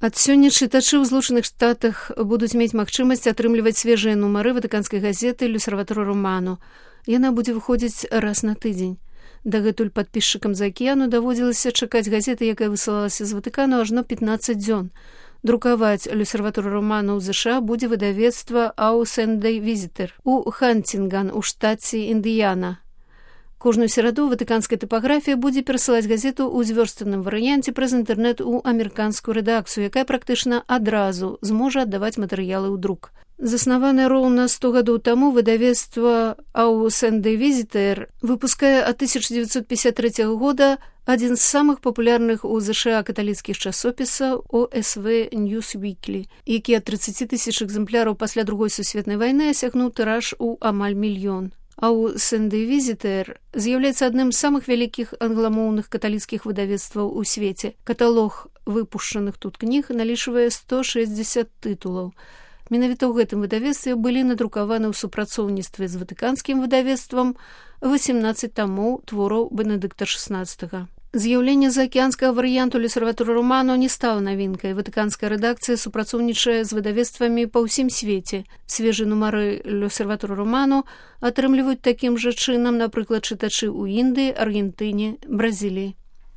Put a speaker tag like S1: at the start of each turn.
S1: Ад сёння чытачы ў Злучаных Штатах будуць мець магчымасць атрымліваць свежыя нумары ватыканскай газеты «L'Osservatore Romano». Яна будзе выходзіць раз на тыдзень. Дагэтуль падпісчыкам з акіяну даводзілася чакаць газеты, якая высылалася з Ватыкану ажно 15 дзён. Друкаваць «L'Osservatore Romano» ў ЗША будзе выдавецтва «Au Sunday Visitor» у Хантинган у штаце Індыяна. Кожную сераду ватыканская тыпаграфія будзе перасылаць газету ў звёрстаным варыянце праз інтэрнэт у амерыканскую рэдакцыю, якая практычна адразу зможа аддаваць матэрыялы ў друк. Заснаванае роўна 100 гадоў таму выдавецтва «Au Sunday Visitor» выпускае ад 1953 года адзін з самых папулярных у ЗША каталіцкіх часопісаў OSV News Weekly, які ад 30 000 экземпляраў пасля Другой сусветнай вайны асягнуў тыраж у амаль 1 мільён. «Au Sunday Visitor» з'яўляецца адным з самых вялікіх англамоўных каталіцкіх выдавецтваў у свеце. Каталог выпушчаных тут кніг налічвае 160 тытулаў. Менавіта ў гэтым выдавецтве былі надрукаваны ў супрацоўніцтве з ватыканскім выдавецтвам 18 тамоў твораў Бенедыкта XVI. З'яўленне заакіянскага варыянту «L'Osservatore Romano» не стала навінкай. Ватыканская рэдакцыя супрацоўнічае з выдавецтвамі па ўсім свеце. Свежыя нумары «L'Osservatore Romano» атрымліваюць такім жа чынам, напрыклад, чытачы ў Індыі, Аргентыне, Бразіліі.